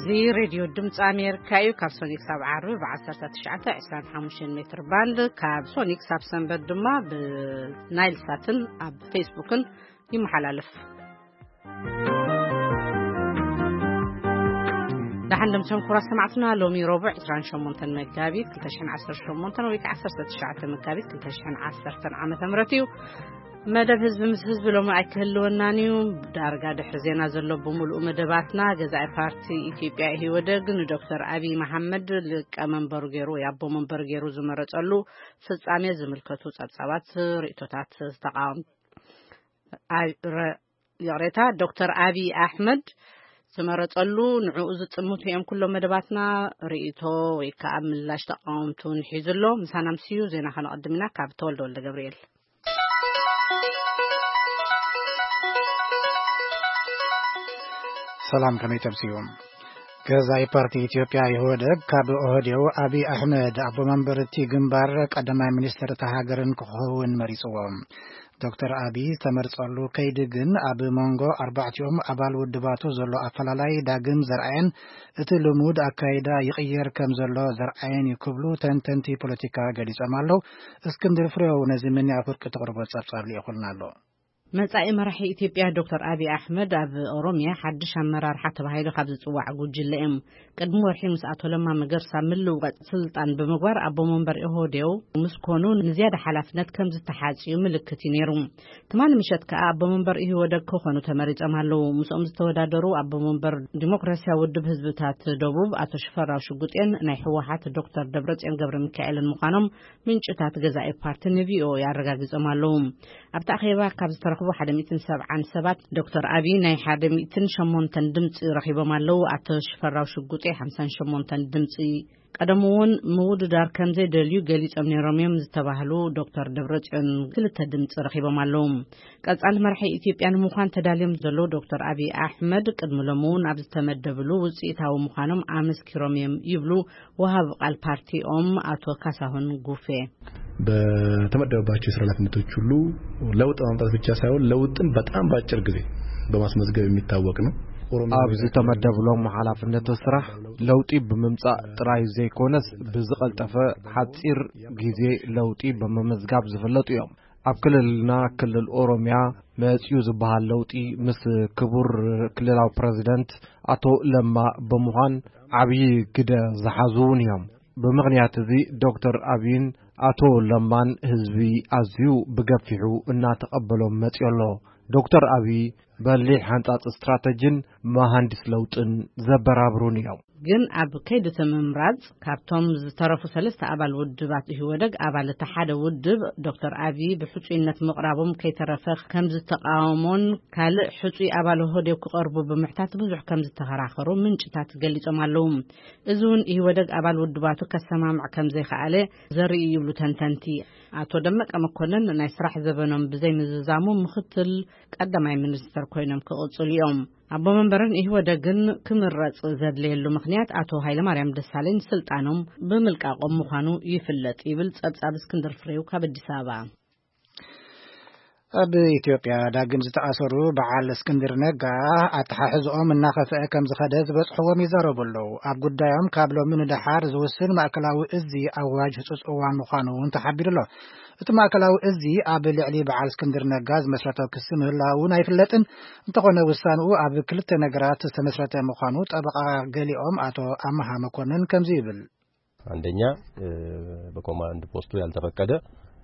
እዚ ሬድዮ ድምፂ ኣሜሪካ እዩ። ካብ ሶኒክ ሳብ ዓርቢ ብ1925 ሜትር ባንድ፣ ካብ ሶኒክ ሳብ ሰንበት ድማ ብናይል ሳትን ኣብ ፌስቡክን ይመሓላለፍ። ደሓን ደምሰን ኩራ ሰማዕትና፣ ሎሚ ረቡዕ 28 መጋቢት 2018 ወይ ከዓ 19 መጋቢት 2010 ዓመተ ምህረት እዩ። መደብ ህዝቢ ምስ ህዝቢ ሎሚ ኣይክህልወናን እዩ። ዳርጋ ድሕሪ ዜና ዘሎ ብምሉኡ መደባትና፣ ገዛኢ ፓርቲ ኢትዮጵያ ኢህወደግ ንዶክተር ኣብይ መሓመድ ሊቀመንበሩ ገይሩ ወይ ኣቦ መንበር ገይሩ ዝመረጸሉ ፍጻሜ ዝምልከቱ ጸብጻባት፣ ርእይቶታት ተቃወም-፣ ኣይ-፣ ረ-፣ ይቕሬታ፣ ዶክተር ኣብይ ኣሕመድ ዝመረጸሉ ንዕኡ ዝጥምቱ እዮም ኩሎም መደባትና። ርእይቶ ወይ ከዓ ምላሽ ተቃወምቱ ንሒዙ ኣሎ። ምሳና ምስዩ ዜና ከነቐድም ኢና። ካብ ተወልደ ወልደ ገብርኤል። ሰላም፣ ከመይ ተምስዩ? ገዛኢ ፓርቲ ኢትዮጵያ ኢህወደግ ካብ ኦህዴው ኣብይ ኣሕመድ ኣቦ መንበር እቲ ግንባር ቀዳማይ ሚኒስትር እታ ሃገርን ክኸውን መሪጽዎ። ዶክተር ኣብይ ዝተመርጸሉ ከይዲ ግን ኣብ መንጎ ኣርባዕቲኦም ኣባል ውድባቱ ዘሎ ኣፈላላይ ዳግም ዘርኣየን እቲ ልሙድ ኣካይዳ ይቕየር ከም ዘሎ ዘርኣየን እዩ ክብሉ ተንተንቲ ፖለቲካ ገሊጾም ኣለዉ። እስክንድር ፍሬው ነዚ ምንያ ፍርቂ ተቕርቦ ጸብጻብ ልኢኹልና ኣሎ። መጻኢ መራሒ ኢትዮጵያ ዶክተር ኣብይ ኣሕመድ ኣብ ኦሮሚያ ሓድሽ ኣመራርሓ ተባሂሉ ካብ ዝጽዋዕ ጉጅለ እዮም። ቅድሚ ወርሒ ምስ ኣቶ ለማ መገርሳ ምልውዋጥ ስልጣን ብምግባር ኣቦ መንበር ኢህወዴው ምስ ኮኑ ንዝያዳ ሓላፍነት ከም ዝተሓጽዩ ምልክት እዩ ነይሩ። ትማሊ ምሸት ከኣ ኣቦ መንበር ኢህወደግ ክኾኑ ተመሪጾም ኣለዉ። ምስኦም ዝተወዳደሩ ኣቦ መንበር ዲሞክራሲያዊ ውድብ ህዝብታት ደቡብ ኣቶ ሽፈራው ሽጉጤን ናይ ህወሓት ዶክተር ደብረጽዮን ገብረ ሚካኤልን ምዃኖም ምንጭታት ገዛኢ ፓርቲ ንቪኦኤ ኣረጋጊጾም ኣለዉ። ኣብቲ ኣኼባ ካብ ዝተረኽቡ 170 ሰባት ዶክተር ኣብይ ናይ 108 ድምፂ ረኺቦም ኣለዉ። ኣቶ ሽፈራው ሽጉጤ 58 ድምፂ፣ ቀደም እውን ምውድዳር ከም ዘይደልዩ ገሊጾም ነይሮም እዮም ዝተባህሉ ዶክተር ደብረጽዮን ክልተ ድምፂ ረኺቦም ኣለዉ። ቀጻሊ መራሒ ኢትዮጵያ ንምዃን ተዳልዮም ዘለዉ ዶክተር ኣብይ ኣሕመድ ቅድሚ ሎሚ እውን ኣብ ዝተመደብሉ ውፅኢታዊ ምዃኖም ኣመስኪሮም እዮም ይብሉ ወሃቢ ቃል ፓርቲኦም ኣቶ ካሳሁን ጉፌ። በተመደበባቸው የስራ ኃላፊነቶች ሁሉ ለውጥ ማምጣት ብቻ ሳይሆን ለውጥን በጣም በአጭር ጊዜ በማስመዝገብ የሚታወቅ ነው። ኦሮሚያ ኣብ ዝተመደብሎም ሓላፍነት ስራሕ ለውጢ ብምምጻእ ጥራይ ዘይኮነስ፣ ብዝቐልጠፈ ሓጺር ግዜ ለውጢ ብምምዝጋብ ዝፍለጡ እዮም። ኣብ ክልልና፣ ክልል ኦሮሚያ መጺኡ ዝበሃል ለውጢ ምስ ክቡር ክልላዊ ፕረዚደንት ኣቶ ለማ ብምዃን ዓብዪ ግደ ዝሓዙ እውን እዮም። ብምኽንያት እዚ ዶክተር ኣብይን ኣቶ ለማን ህዝቢ ኣዝዩ ብገፊሑ እናተቐበሎም መጺኡ ኣሎ። ዶክተር ኣብይ በሊሕ ሓንጻጽ ስትራተጂን መሃንዲስ ለውጥን ዘበራብሩን እዮም። ግን ኣብ ከይዲ እቲ ምምራጽ ካብቶም ዝተረፉ ሰለስተ ኣባል ውድባት ኢህወደግ ኣባል እቲ ሓደ ውድብ ዶክተር ኣብይ ብሕጹይነት ምቕራቦም ከይተረፈ ከም ዝተቃወሞን ካልእ ሕጹይ ኣባል ኢህወደግ ክቐርቡ ብምሕታት ብዙሕ ከም ዝተኸራኸሩ ምንጭታት ገሊጾም ኣለዉ። እዚ እውን ኢህወደግ ኣባል ውድባቱ ከሰማምዕ ከም ዘይከኣለ ዘርኢ እዩ ይብሉ ተንተንቲ። ኣቶ ደመቀ መኮንን ናይ ስራሕ ዘበኖም ብዘይምዝዛሙ ምኽትል ቀዳማይ ሚኒስተር ኮይኖም ክቕጽሉ እዮም። ኣቦ መንበርን ኢህወደግን ክምረጽ ዘድለየሉ ምኽንያት ኣቶ ሃይለማርያም ደሳለኝ ስልጣኖም ብምልቃቖም ምዃኑ ይፍለጥ ይብል ጸብጻብ እስክንድር ፍሬው ካብ ኣዲስ ኣበባ። ኣብ ኢትዮጵያ ዳግም ዝተኣሰሩ በዓል እስክንድር ነጋ ኣተሓሕዝኦም እናኸፍአ ከም ዝኸደ ዝበጽሕዎም ይዛረቡ ኣለዉ። ኣብ ጉዳዮም ካብ ሎሚ ንደሓር ዝውስን ማእከላዊ እዚ ኣዋጅ ህጹጽ እዋን ምዃኑ እውን ተሓቢሩ ኣሎ። እቲ ማእከላዊ እዚ ኣብ ልዕሊ በዓል እስክንድር ነጋ ዝመስረቶ ክሲ ምህላው እውን ኣይፍለጥን። እንተኾነ ውሳንኡ ኣብ ክልተ ነገራት ዝተመስረተ ምዃኑ ጠበቓ ገሊኦም ኣቶ ኣመሃ መኮንን ከምዚ ይብል። አንደኛ፣ እ፣ በኮማንድ ፖስቱ ያልተፈቀደ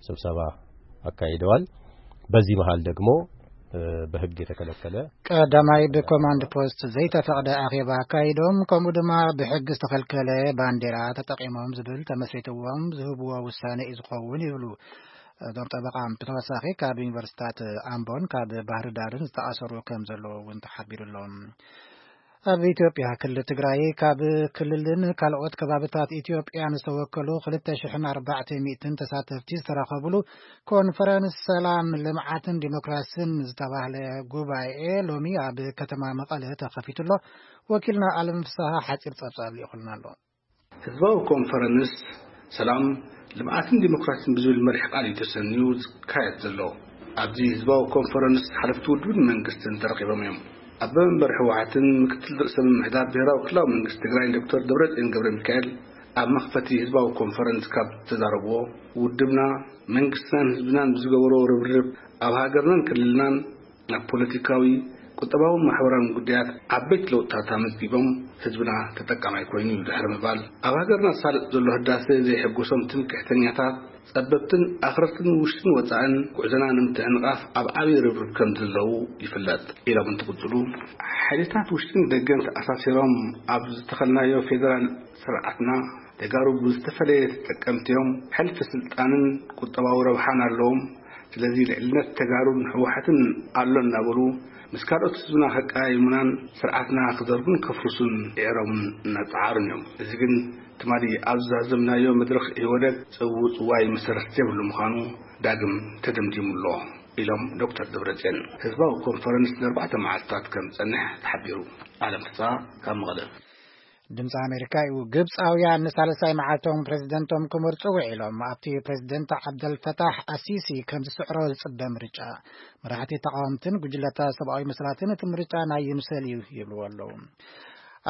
ስብሰባ አካሂደዋል። በዚህ መሃል ደግሞ፣ እ፣ በህግ የተከለከለ ቀዳማይ ብኮማንድ ፖስት ዘይተፈቕደ ኣኼባ ኣካይዶም፣ ከምኡ ድማ ብሕጊ ዝተኸልከለ ባንዴራ ተጠቒሞም ዝብል ተመስሪትዎም ዝህብዎ ውሳነ እዩ ዝኸውን ይብሉ እዞም ጠበቓ። ብተወሳኺ ካብ ዩኒቨርሲታት ኣምቦን ካብ ባህር ዳርን ዝተኣሰሩ ከም ዘለዉ እውን ተሓቢሩ ኣሎ። ኣብ ኢትዮጵያ ክልል ትግራይ ካብ ክልልን ካልኦት ከባብታት ኢትዮጵያን ዝተወከሉ 2,400 ተሳተፍቲ ዝተረኸብሉ ኮንፈረንስ ሰላም፣ ልምዓትን ዲሞክራሲን ዝተባህለ ጉባኤ ሎሚ ኣብ ከተማ መቐለ ተኸፊቱ ኣሎ። ወኪልና ኣለም ፍስሃ ሓፂር ጸብጻብ ልኢኹልና ኣሎ። ህዝባዊ ኮንፈረንስ ሰላም፣ ልምዓትን ዲሞክራሲን ብዝብል መሪሕ ቃል እዩ ተሰንዩ ዝካየድ ዘሎ። ኣብዚ ህዝባዊ ኮንፈረንስ ሓለፍቲ ውድብን መንግስትን ተረኺቦም እዮም። ኣቦ መንበር ህወሓትን ምክትል ርእሰ ምምሕዳር ብሄራዊ ክልላዊ መንግስቲ ትግራይን ዶክተር ደብረጽዮን ገብረ ሚካኤል ኣብ መኽፈቲ ህዝባዊ ኮንፈረንስ ካብ ዝተዛረብዎ፣ ውድብና፣ መንግስትናን ህዝብናን ብዝገበሮ ርብርብ ኣብ ሃገርናን ክልልናን ኣብ ፖለቲካዊ፣ ቁጠባውን ማሕበራውን ጉዳያት ዓበይቲ ለውጥታት ኣመዝጊቦም፣ ህዝብና ተጠቃማይ ኮይኑ እዩ ድሕሪ ምባል፣ ኣብ ሃገርና ዝሳለጥ ዘሎ ህዳሰ ዘይሕጎሶም ትምክሕተኛታት፣ ጸበብትን ኣኽረርትን ውሽጥን ወጻእን ጉዕዞና ንምትዕንቓፍ ኣብ ዓብዪ ርብርብ ከም ዘለዉ ይፍለጥ ኢሎም እንትቕጽሉ፣ ሓይልታት ውሽጥን ደገን ተኣሳሲሮም ኣብ ዝተኸልናዮ ፌደራል ስርዓትና፣ ተጋሩ ብዝተፈለየ ተጠቀምቲ እዮም። ሕልፊ ስልጣንን ቁጠባዊ ረብሓን ኣለዎም። ስለዚ ልዕልነት ተጋሩን ህወሓትን ኣሎ እናበሉ ምስ ካልኦት ህዝብና ከቀያይሙናን ስርዓትና ክዘርጉን ከፍርሱን ይዕሮምን እናጸዓሩን እዮም። እዚ ግን ትማሊ ኣብ ዝዛዘምናዮ መድረኽ ኢህወደግ ጽውጽዋይ መሰረት ዘይብሉ ምዃኑ ዳግም ተደምዲሙ ኣሎ ኢሎም ዶክተር ደብረጽዮን። ህዝባዊ ኮንፈረንስ ንኣርባዕተ መዓልትታት ከም ዝጸንሕ ተሓቢሩ። ኣለም ፍስሃ ካብ መቐለ። ድምፂ ኣሜሪካ እዩ። ግብፃውያን ንሳልሳይ መዓልቶም ፕሬዚደንቶም ክመርፁ ውዒሎም። ኣብቲ ፕሬዚደንት ዓብደልፈታሕ ኣሲሲ ከም ዝስዕሮ ዝፅበ ምርጫ፣ መራሕቲ ተቃወምትን ጉጅለታት ሰብኣዊ መሰላትን እቲ ምርጫ ናይ ይምሰል እዩ ይብልዎ ኣለዉ።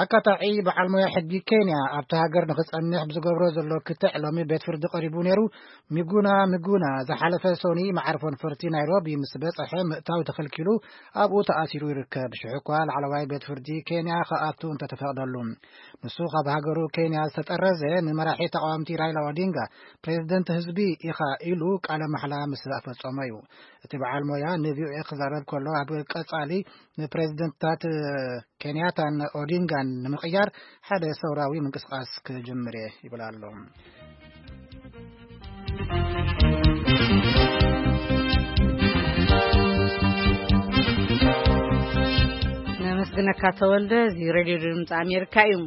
ኣካታዒ በዓል ሞያ ሕጊ ኬንያ ኣብቲ ሃገር ንክፀንሕ ብዝገብሮ ዘሎ ክትዕ ሎሚ ቤት ፍርዲ ቀሪቡ ነይሩ። ሚጉና ሚጉና ዝሓለፈ ሶኒ መዓርፎ ነፈርቲ ናይሮቢ ምስ በፀሐ ምእታው ተኸልኪሉ ኣብኡ ተኣሲሩ ይርከብ። ሽዑ እኳ ላዕለዋይ ቤት ፍርዲ ኬንያ ክኣቱ እንተተፈቕደሉ፣ ንሱ ካብ ሃገሩ ኬንያ ዝተጠረዘ ንመራሒ ተቓወምቲ ራይላ ኦዲንጋ ፕሬዝደንት ህዝቢ ኢኻ ኢሉ ቃለ ማሕላ ምስ ኣፈጸሞ እዩ። እቲ በዓል ሞያ ንቪኦኤ ክዛረብ ከሎ፣ ኣብ ቀጻሊ ንፕሬዝደንትታት ኬንያታን ኦዲንጋን ንምቕያር ሓደ ሰውራዊ ምንቅስቓስ ክጅምር እየ ይብል ኣሎ። ነመስግነካ ተወልደ። እዚ ሬድዮ ድምፂ ኣሜሪካ እዩ።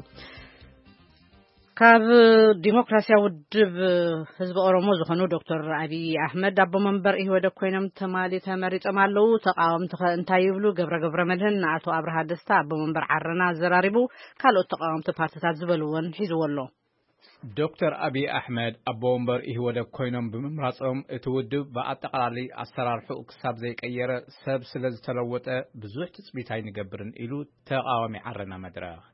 ካብ ዲሞክራሲያዊ ውድብ ህዝቢ ኦሮሞ ዝኾኑ ዶክተር ኣብይ ኣሕመድ ኣቦ መንበር ኢህወደግ ኮይኖም ትማሊ ተመሪጾም ኣለዉ። ተቃወምቲ ከ እንታይ ይብሉ? ገብረ ገብረ መድህን ንኣቶ ኣብርሃ ደስታ ኣቦ መንበር ዓረና ኣዘራሪቡ፣ ካልኦት ተቃወምቲ ፓርትታት ዝበልዎን ሒዝዎ ኣሎ። ዶክተር ኣብይ ኣሕመድ ኣቦ ወንበር ኢህወደግ ኮይኖም ብምምራጾም፣ እቲ ውድብ ብኣጠቓላሊ ኣሰራርሕኡ ክሳብ ዘይቀየረ፣ ሰብ ስለ ዝተለወጠ ብዙሕ ትጽቢት ኣይንገብርን ኢሉ ተቓዋሚ ዓረና መድረኽ።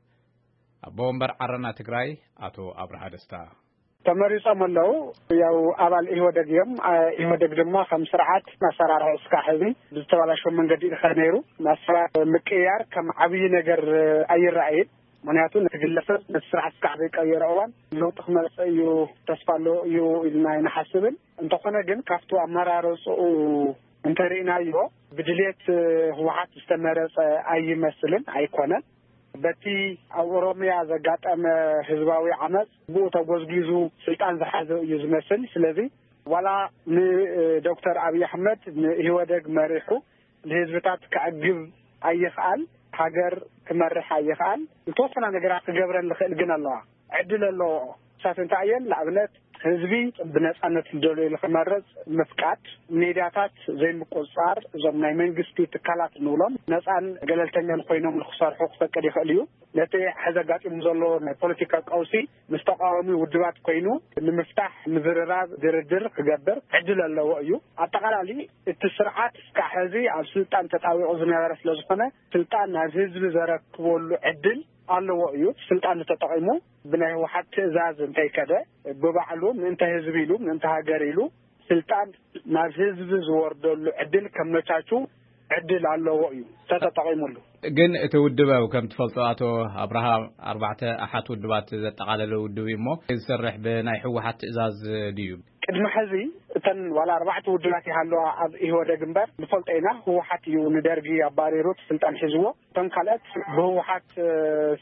ኣቦ ወንበር ዓረና ትግራይ ኣቶ ኣብርሃ ደስታ። ተመሪጾም ኣለዉ። ያው ኣባል ኢህወደግ እዮም። አ፣ ኢህወደግ ድማ ከም ስርዓት ኣሰራርሕኡ እስካዕ ሕዚ ብዝተበላሸወ መንገዲ እዩ ዝኸድ ነይሩ። ኣሰራርሓ ምቅያር ከም ዓብዪ ነገር ኣይረኣይን። ምኽንያቱ ነቲ ግለሰብ ነቲ ስርዓት እስካዕ ዘይቀየረ እዋን ለውጢ ክመጽእ እዩ፣ ተስፋ ኣሎ እዩ ኢልና ኣይንሓስብን። እንተኾነ ግን ካብቲ ኣመራርጽኡ እንተርኢናዮ ብድልየት ህወሓት ዝተመረጸ ኣይመስልን፣ ኣይኮነን። በቲ ኣብ ኦሮምያ ዘጋጠመ ህዝባዊ ዓመፅ ብኡ ተጎዝጒዙ ስልጣን ዝሓዘ እዩ ዝመስል። ስለዚ ዋላ ንዶክተር ኣብይ ኣሕመድ ንኢህወደግ መሪሑ ንህዝብታት ከዕግብ ኣይኽኣል፣ ሃገር ክመርሕ ኣይኽኣል። ዝተወሰና ነገራት ክገብረን ዝኽእል ግን ኣለዋ፣ ዕድል ኣለዎ። ንሳት እንታይ እየን? ንኣብነት ህዝቢ ብነፃነት ዝደለዮ ክመርፅ ምፍቃድ፣ ሜድያታት ዘይምቁፅፃር፣ እዞም ናይ መንግስቲ ትካላት እንብሎም ነፃን ገለልተኛን ኮይኖም ንክሰርሑ ክፈቅድ ይኽእል እዩ። ነቲ ሕዚ ኣጋጢሙ ዘሎ ናይ ፖለቲካ ቀውሲ ምስ ተቃዋሚ ውድባት ኮይኑ ንምፍታሕ ምዝርራብ፣ ድርድር ክገብር ዕድል ኣለዎ እዩ። ኣጠቃላሊ እቲ ስርዓት እስካዕ ሕዚ ኣብ ስልጣን ተጣቢቑ ዝነበረ ስለ ዝኾነ ስልጣን ናብ ህዝቢ ዘረክበሉ ዕድል ኣለዎ እዩ። ስልጣን ተጠቒሙ ብናይ ህወሓት ትእዛዝ እንተይከደ ብባዕሉ ምእንተ ህዝቢ ኢሉ ምእንተ ሃገር ኢሉ ስልጣን ናብ ህዝቢ ዝወርደሉ ዕድል ከመቻቹ ዕድል ኣለዎ እዩ ተተጠቒሙሉ። ግን እቲ ውድብ ከም ትፈልጦ ኣቶ ኣብርሃ ኣርባዕተ ኣሓት ውድባት ዘጠቓለለ ውድብ እዩ እሞ ዝሰርሕ ብናይ ህወሓት ትእዛዝ ድዩ? ቅድሚ ሕዚ እተን ዋላ ኣርባዕተ ውድባት ይሃለዋ ኣብ ኢህወደግ እምበር ንፈልጦ ኢና። ህወሓት እዩ ንደርጊ ኣባሪሩ እቲ ስልጣን ሒዝዎ። እቶም ካልኦት ብህወሓት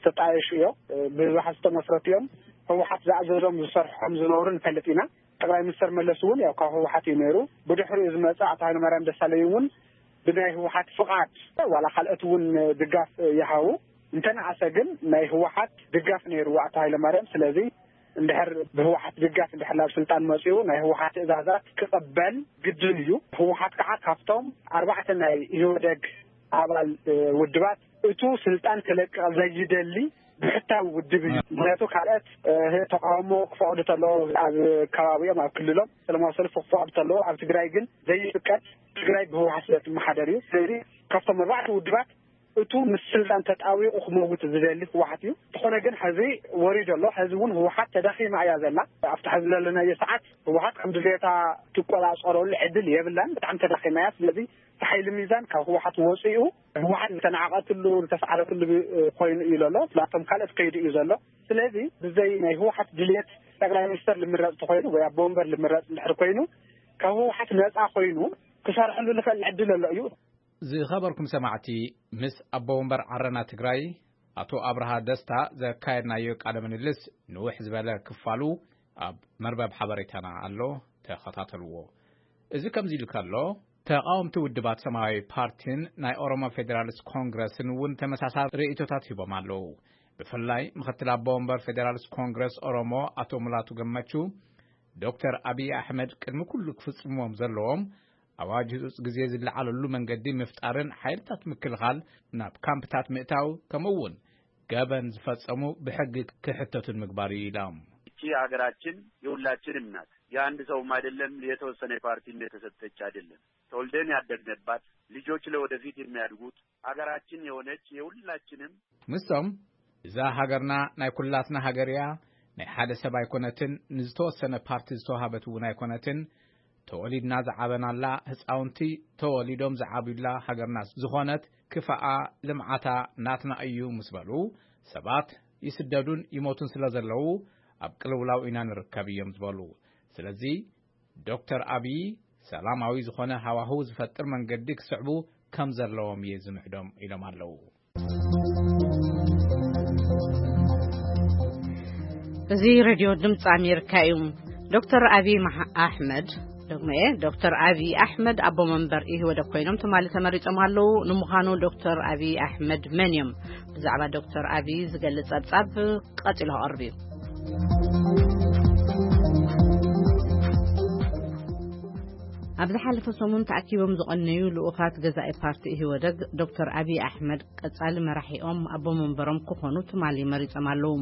ዝተጣየሹ እዮም፣ ብዝበሓ ዝተመስረቱ እዮም። ህወሓት ዝኣዘዞም ዝሰርሖም ዝነበሩ ንፈልጥ ኢና። ጠቅላይ ሚኒስትር መለስ እውን ያው ካብ ህወሓት እዩ ነይሩ። ብድሕሪኡ ዝመፀ ኣቶ ሃይለማርያም ደሳለኝ እውን ብናይ ህወሓት ፍቓድ ዋላ ካልኦት እውን ድጋፍ ይሃቡ እንተነኣሰ ግን ናይ ህወሓት ድጋፍ ነይሩ ኣቶ ሃይለማርያም። ስለዚ እንድሕር ብህወሓት ድጋፍ እንድሕር ናብ ስልጣን መፂኡ ናይ ህወሓት ትእዛዛት ክቕበል ግድን እዩ። ህወሓት ከዓ ካብቶም ኣርባዕተ ናይ ኢህወደግ ኣባል ውድባት እቱ ስልጣን ክለቅቕ ዘይደሊ ብሕታዊ ውድብ እዩ። ምክንያቱ ካልኦት ተቃውሞ ክፈቕዱ ተለዎ ኣብ ከባቢኦም ኣብ ክልሎም ሰላማዊ ሰልፊ ክፈቕዱ ተለዎ ኣብ ትግራይ ግን ዘይፍቀድ ትግራይ ብህወሓት ስለ ትመሓደር እዩ። ስለዚ ካብቶም ኣርባዕተ ውድባት እቱ ምስ ስልጣን ተጣዊቑ ክመውት ዝደሊ ህወሓት እዩ። እንተኾነ ግን ሕዚ ወሪዶ ኣሎ። ሕዚ እውን ህወሓት ተዳኺማ እያ ዘላ። ኣብቲ ሕዚ ዘለናዮ ሰዓት ህወሓት ከም ድሌታ ትቆጻጸረሉ ዕድል የብላን። ብጣዕሚ ተዳኺማ እያ። ስለዚ እቲ ሓይሊ ሚዛን ካብ ህወሓት ወፂኡ ህወሓት ዝተናዕቐትሉ ዝተስዓረትሉ ኮይኑ እዩ ዘሎ። ናብቶም ካልኦት ከይዱ እዩ ዘሎ። ስለዚ ብዘይ ናይ ህወሓት ድሌት ጠቅላይ ሚኒስተር ልምረፅ ተኮይኑ ወይ ኣቦ ወንበር ልምረፅ እንድሕር ኮይኑ ካብ ህወሓት ነፃ ኮይኑ ክሰርሐሉ ዝኽእል ዕድል ኣሎ እዩ። ዝኸበርኩም ሰማዕቲ፣ ምስ ኣቦ ወንበር ዓረና ትግራይ ኣቶ ኣብርሃ ደስታ ዘካየድናዮ ቃለ ምልልስ ንውሕ ዝበለ ክፋሉ ኣብ መርበብ ሓበሬታና ኣሎ፣ ተኸታተልዎ። እዚ ከምዚ ኢሉ ከሎ፣ ተቓወምቲ ውድባት ሰማያዊ ፓርቲን ናይ ኦሮሞ ፌዴራሊስት ኮንግረስን እውን ተመሳሳሊ ርእይቶታት ሂቦም ኣለዉ። ብፍላይ ምክትል ኣቦ ወንበር ፌዴራሊስት ኮንግረስ ኦሮሞ ኣቶ ሙላቱ ገመቹ፣ ዶክተር ኣብይ ኣሕመድ ቅድሚ ኩሉ ክፍጽምዎም ዘለዎም ኣዋጅ ህጹጽ ግዜ ዝለዓለሉ መንገዲ ምፍጣርን ሓይልታት ምክልኻል ናብ ካምፕታት ምእታው፣ ከምኡ እውን ገበን ዝፈጸሙ ብሕጊ ክሕተቱን ምግባር እዩ ኢሎም። እቺ ሀገራችን የሁላችንም ናት። የአንድ ሰውም አይደለም፣ የተወሰነ ፓርቲም የተሰጠች አይደለም። ተወልደን ያደግነባት፣ ልጆች ለወደፊት የሚያድጉት፣ ሀገራችን የሆነች የሁላችንም። ምስቶም እዛ ሃገርና ናይ ኩላትና ሃገር እያ፣ ናይ ሓደ ሰብ ኣይኮነትን፣ ንዝተወሰነ ፓርቲ ዝተዋሃበት እውን ኣይኮነትን፣ ተወሊድና ዝዓበናላ፣ ህፃውንቲ ተወሊዶም ዝዓብዩላ ሃገርና ዝኾነት ክፋኣ ልምዓታ ናትና እዩ ምስ በሉ፣ ሰባት ይስደዱን ይሞቱን ስለ ዘለዉ ኣብ ቅልውላው ኢና ንርከብ እዮም ዝበሉ። ስለዚ ዶክተር ኣብይ ሰላማዊ ዝኾነ ሃዋህው ዝፈጥር መንገዲ ክስዕቡ ከም ዘለዎም እየ ዝምዕዶም ኢሎም ኣለዉ። እዚ ሬድዮ ድምፂ ኣሜሪካ እዩ። ዶክተር ኣብይ መሓ-፣ ኣሕመድ፣ ደግመየ፣ ዶክተር ኣብይ ኣሕመድ ኣቦ መንበር ኢህወደግ ኮይኖም ትማሊ ተመሪጾም ኣለዉ። ንምዃኑ ዶክተር ኣብይ ኣሕመድ መን እዮም? ብዛዕባ ዶክተር ኣብይ ዝገልጽ ጸብጻብ ቀጺሉ ክቐርብ እዩ። ኣብ ዝሓለፈ ሰሙን ተኣኪቦም ዝቐነዩ ልኡኻት ገዛኢ ፓርቲ ኢህወደግ ዶክተር ኣብይ ኣሕመድ ቀጻሊ መራሒኦም ኣቦ መንበሮም ክኾኑ ትማሊ መሪጾም ኣለዉ።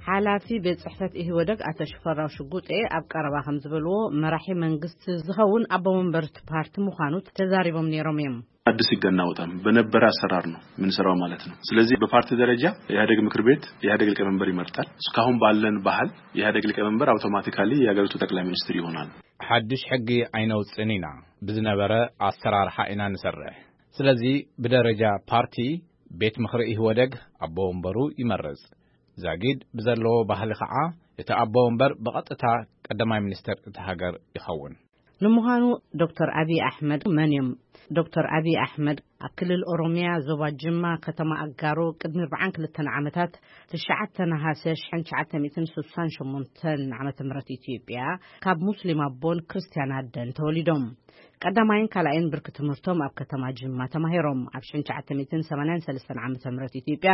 ሓላፊ ቤት ጽሕፈት ኢህወደግ ኣቶ ሽፈራው ሽጉጤ ኣብ ቀረባ ከም ዝበልዎ፣ መራሒ መንግስቲ ዝኸውን ኣቦ መንበር እቲ ፓርቲ ምዃኑ ተዛሪቦም ነይሮም እዮም። አዲስ ህግ አናወጣም፣ በነበረ አሰራር ነው የምንሰራው ማለት ነው። ስለዚህ በፓርቲ ደረጃ የኢህአዴግ ምክር ቤት የኢህአዴግ ሊቀመንበር ይመርጣል። እስካሁን ባለን ባህል የኢህአዴግ ሊቀመንበር አውቶማቲካሊ የሀገሪቱ ጠቅላይ ሚኒስትር ይሆናል። ሓድሽ ሕጊ ኣይነውፅን ኢና፣ ብዝነበረ ኣሰራርሓ ኢና ንሰርሕ። ስለዚ ብደረጃ ፓርቲ ቤት ምኽሪ ኢህወደግ ኣቦ ወንበሩ ይመርጽ። ዛጊድ ብዘለዎ ባህሊ ኸዓ እቲ ኣቦ ወንበር ብቐጥታ ቀዳማይ ሚኒስተር እታ ሃገር ይኸውን። ንምዃኑ ዶክተር ኣብይ ኣሕመድ መን እዮም? ዶክተር ኣብይ ኣሕመድ ኣብ ክልል ኦሮሚያ ዞባ ጅማ ከተማ ኣጋሮ ቅድሚ ኣርባዓን ክልተን ዓመታት ትሽዓተ ነሃሰ ሽሕን ትሽዓተ ሚእትን ስሳን ሸሞንተን ዓመተ ምህረት ኢትዮጵያ ካብ ሙስሊም ኣቦን ክርስትያን ኣደን ተወሊዶም። ቀዳማይን ካልኣይን ብርኪ ትምህርቶም ኣብ ከተማ ጅማ ተማሂሮም። ኣብ ሽሕን ትሽዓተ ሚእትን ሰማንያን ሰለስተን ዓመተ ምህረት ኢትዮጵያ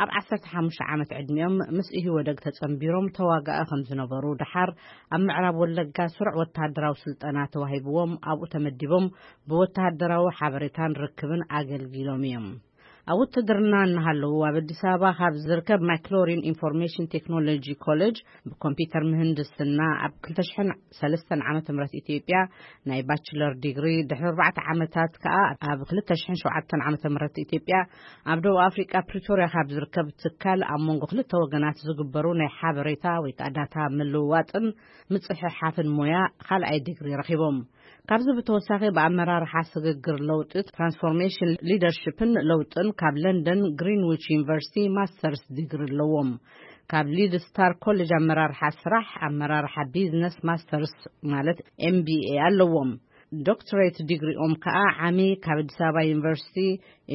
ኣብ ዓሰርተ ሓሙሽተ ዓመት ዕድሚኦም ምስ ኢህወደግ ተጸንቢሮም ተዋጋኢ ከም ዝነበሩ፣ ደሓር ኣብ ምዕራብ ወለጋ ስሩዕ ወተሃደራዊ ስልጠና ተዋሂብዎም ኣብኡ ተመዲቦም ብወተሃደራዊ ሓበሬታን ርክብን ኣገልጊሎም እዮም። ኣብ ውትድርና እናሃለዉ ኣብ ኣዲስ ኣበባ ካብ ዝርከብ ማይክሎሪን ኢንፎርሜሽን ቴክኖሎጂ ኮሌጅ ብኮምፒውተር ምህንድስና ኣብ ክልተ ሽሕን ሰለስተን ዓመተ ምህረት ኢትዮጵያ ናይ ባችለር ዲግሪ፣ ድሕሪ ኣርባዕተ ዓመታት ከኣ ኣብ ክልተ ሽሕን ሸውዓተን ዓመተ ምህረት ኢትዮጵያ ኣብ ደቡብ ኣፍሪቃ ፕሪቶርያ ካብ ዝርከብ ትካል ኣብ መንጎ ክልተ ወገናት ዝግበሩ ናይ ሓበሬታ ወይ ከኣ ዳታ ምልውዋጥን ምጽሕሓፍን ሞያ ካልኣይ ዲግሪ ረኺቦም። ካብዚ ብተወሳኺ ብኣመራርሓ ስግግር ለውጢ ትራንስፎርሜሽን ሊደርሽፕን ለውጥን ካብ ለንደን ግሪንዊች ዩኒቨርሲቲ ማስተርስ ዲግሪ ኣለዎም። ካብ ሊድ ስታር ኮሌጅ ኣመራርሓ ስራሕ ኣመራርሓ ቢዝነስ ማስተርስ ማለት ኤምቢኤ ኣለዎም። ዶክትሬት ዲግሪኦም ከኣ ዓሚ ካብ ኣዲስ ኣበባ ዩኒቨርሲቲ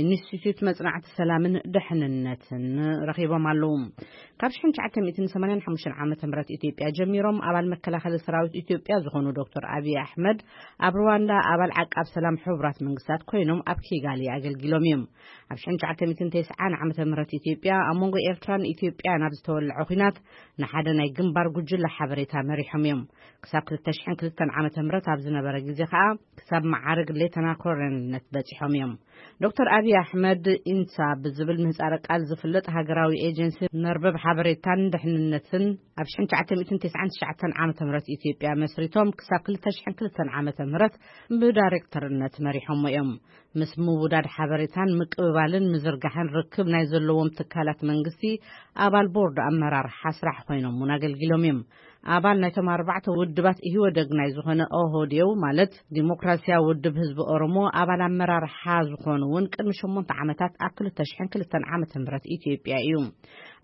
ኢንስቲትዩት መጽናዕቲ ሰላምን ድሕንነትን ረኺቦም ኣለዉ። ካብ ሽሕን ትሽዓተ ሚእትን ሰማንያን ሓሙሽተን ዓመተ ምህረት ኢትዮጵያ ጀሚሮም ኣባል መከላኸሊ ሰራዊት ኢትዮጵያ ዝኾኑ ዶክተር ኣብይ ኣሕመድ ኣብ ሩዋንዳ ኣባል ዓቃብ ሰላም ሕቡራት መንግስታት ኮይኖም ኣብ ኪጋሊ ኣገልጊሎም እዮም። ኣብ ሽሕን ትሽዓተ ሚእትን ተስዓን ዓመተ ምህረት ኢትዮጵያ ኣብ መንጎ ኤርትራን ኢትዮጵያን ኣብ ዝተወልዐ ኲናት ንሓደ ናይ ግንባር ጉጅለ ሓበሬታ መሪሖም እዮም። ክሳብ ክልተ ሽሕን ክልተን ዓመተ ምህረት ኣብ ዝነበረ ግዜ ከኣ ክሳብ መዓርግ ሌተና ኮሎኔልነት በጺሖም እዮም። ዶክተር ኣብይ ኣሕመድ ኢንሳ ብዝብል ምህጻረ ቃል ዝፍለጥ ሃገራዊ ኤጀንሲ መርበብ ሓበሬታን ድሕንነትን ኣብ ሽሕን ትሽዓተ ሚእትን ተስዓን ትሽዓተን ዓመተ ምህረት ኢትዮጵያ መስሪቶም ክሳብ ክልተ ሽሕን ክልተን ዓመተ ምህረት ብዳይሬክተርነት መሪሖሞ እዮም። ምስ ምውዳድ ሓበሬታን ምቅብባልን ምዝርጋሕን ርክብ ናይ ዘለዎም ትካላት መንግስቲ ኣባል ቦርድ ኣመራርሓ ስራሕ ኮይኖም እውን ኣገልጊሎም እዮም። ኣባል ናይቶም ኣርባዕተ ውድባት ኢህወደግ ናይ ዝኾነ ኦህዴው ማለት ዲሞክራሲያዊ ውድብ ህዝቢ ኦሮሞ ኣባል ኣመራርሓ ዝኾኑ እውን ቅድሚ ሸሞንተ ዓመታት ኣብ ክልተ ሽሕን ክልተን ዓመተ ምህረት ኢትዮጵያ እዩ።